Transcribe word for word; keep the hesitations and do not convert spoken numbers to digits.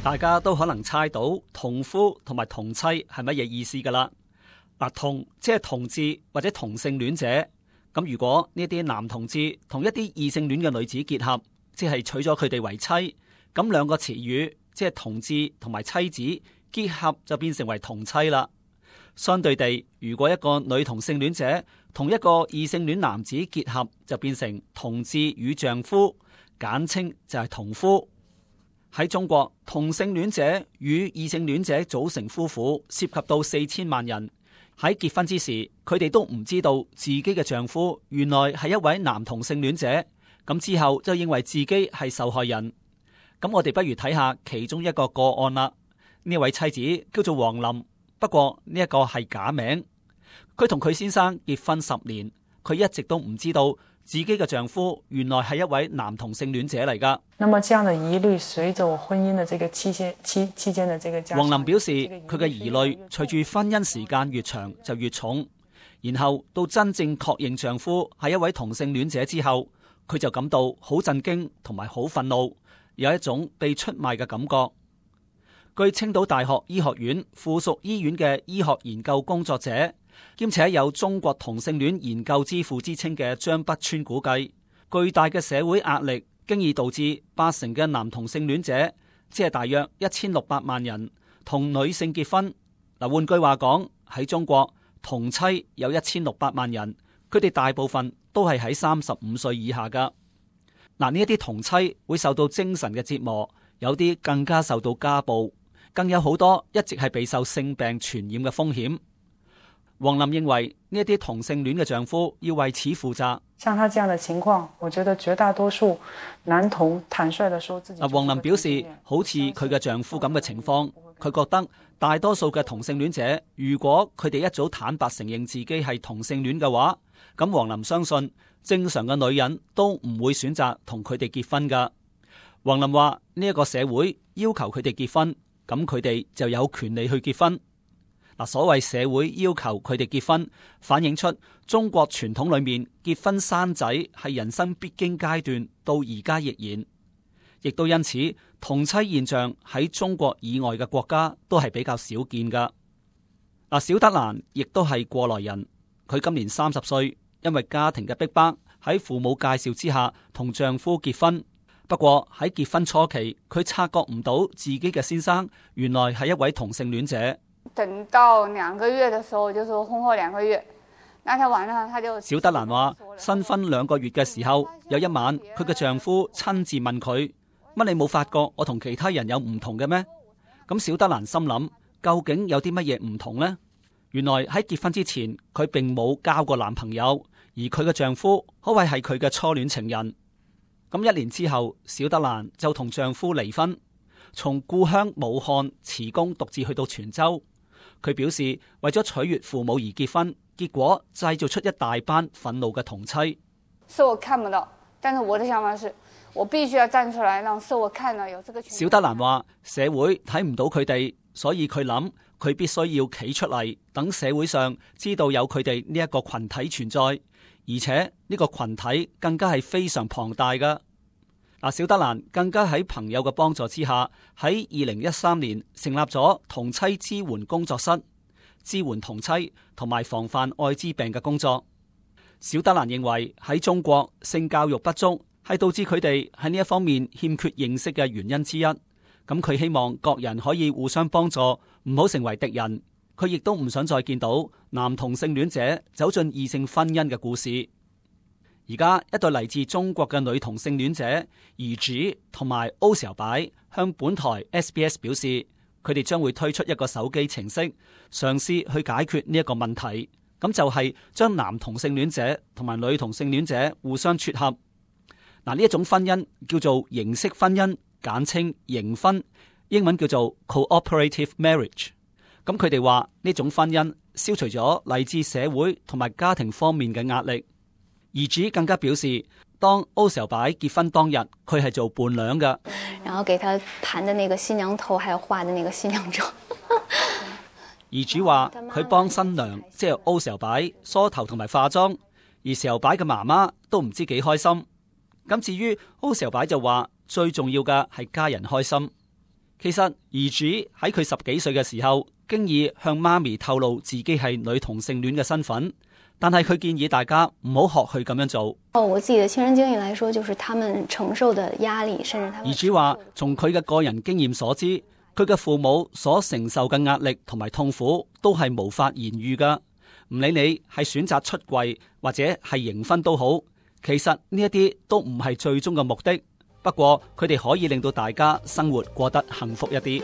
大家都可能猜到同夫同埋同妻係乜嘢意思噶啦。嗱，同即係同志或者同性戀者。咁如果呢啲男同志同一啲異性戀嘅女子結合，即係娶咗佢哋為妻，咁兩個詞語即係同志同埋妻子結合就變成為同妻啦。相對地，如果一個女同性戀者同一個異性戀男子結合，就變成同志與丈夫，簡稱就係同夫。喺中國，同性戀者與異性戀者組成夫婦涉及到四千萬人。喺結婚之時，佢哋都唔知道自己嘅丈夫原來係一位男同性戀者，咁之後就認為自己係受害人。咁我哋不如睇下其中一個個案啦。呢位妻子叫做王林，不過呢一個係假名。佢同佢先生結婚十年，佢一直都唔知道自己嘅丈夫原來係一位男同性戀者嚟噶。那麼這樣的疑慮隨着我婚姻的這個期間期期間的這個加長，王林表示佢嘅疑慮隨住婚姻時間越長就越重，然後到真正確認丈夫係一位同性戀者之後，佢就感到好震驚同埋好憤怒，有一種被出賣嘅感覺。據青島大學醫學院附屬醫院嘅醫學研究工作者，兼且有中國同性戀研究之父之稱嘅張北川估計，巨大嘅社會壓力經已導致八成嘅男同性戀者，即係大約一千六百萬人同女性結婚。嗱，換句話講，喺中國同妻有一千六百萬人，佢哋大部分都係喺三十五歲以下噶。嗱，呢一啲同妻會受到精神嘅折磨，有啲更加受到家暴，更有好多一直係備受性病傳染嘅風險。王林認為呢一啲同性戀嘅丈夫要為此負責。像他這樣的情況，我覺得絕大多數男同坦率地說自己。王林表示，好似佢嘅丈夫咁嘅情況，佢覺得大多數嘅同性戀者，如果佢哋一早坦白承認自己係同性戀嘅話，咁王林相信正常嘅女人都唔會選擇同佢哋結婚噶。王林話呢一個社會要求佢哋結婚，咁佢哋就有權利去結婚。嗱，所謂社會要求佢哋結婚，反映出中國傳統裏面結婚生仔係人生必經階段，到而家亦然，亦都因此同妻現象喺中國以外嘅國家都係比較少見噶。嗱，小德蘭亦都係過來人，佢今年三十歲，因為家庭嘅逼迫，喺父母介紹之下同丈夫結婚。不過喺結婚初期，佢察覺唔到自己嘅先生原來係一位同性戀者。等到兩個月的時候，就是婚後兩個月，那天晚上他就小德蘭話，新婚兩個月嘅時候，有一晚佢嘅丈夫親自問佢：乜你冇發覺我同其他人有唔同嘅咩？咁小德蘭心諗，究竟有啲乜嘢唔同呢？原來喺結婚之前，佢並冇交過男朋友，而佢嘅丈夫可謂係佢嘅初戀情人。咁一年之後，小德蘭就同丈夫離婚，從故鄉武漢辭工，獨自去到泉州。佢表示為咗取悅父母而結婚，結果製造出一大班憤怒嘅同妻。是我看不到，但是我的想法是我必須要站出來，讓社會看到有這個。小德蘭話社會睇唔到佢哋，所以佢諗佢必須要企出嚟，等社會上知道有佢哋呢一個群體存在，而且呢個群體更加係非常龐大噶。嗱，小德蘭更加喺朋友嘅幫助之下，喺二零一三年成立咗同妻支援工作室，支援同妻同埋防範艾滋病嘅工作。小德蘭認為喺中國性教育不足係導致佢哋喺呢一方面欠缺認識嘅原因之一。咁佢希望各人可以互相幫助，唔好成為敵人。佢亦都唔想再見到男同性戀者走進異性婚姻嘅故事。而家一對嚟自中國嘅女同性戀者怡子同埋歐小白向本台 S B S 表示，佢哋將會推出一個手機程式，嘗試去解決呢一個問題。咁就係將男同性戀者同埋女同性戀者互相撮合。嗱，呢一種婚姻叫做形式婚姻，簡稱形婚，英文叫做 cooperative marriage。咁佢哋話呢種婚姻消除咗嚟自社會同埋家庭方面嘅壓力。兒子更加表示，當歐小白結婚當日，佢係做伴娘嘅，然後給他盤的那個新娘頭，還有化的那個新娘妝。兒子話佢幫新娘即係歐小白梳頭同埋化妝，而小白嘅媽媽都唔知幾開心。咁至於歐小白就話最重要嘅係家人開心。其實兒主喺佢十幾歲嘅時候，經已向媽咪透露自己係女同性戀嘅身份，但係佢建議大家唔好學佢咁樣做。哦，我自己的親身經歷來說，就是他們承受的壓力，甚至他們。兒主話，從佢嘅個人經驗所知，佢嘅父母所承受嘅壓力同埋痛苦，都係無法言喻噶。唔理你係選擇出櫃或者係形婚都好，其實呢一啲都唔係最終嘅目的。不過佢哋可以令到大家生活過得幸福一啲。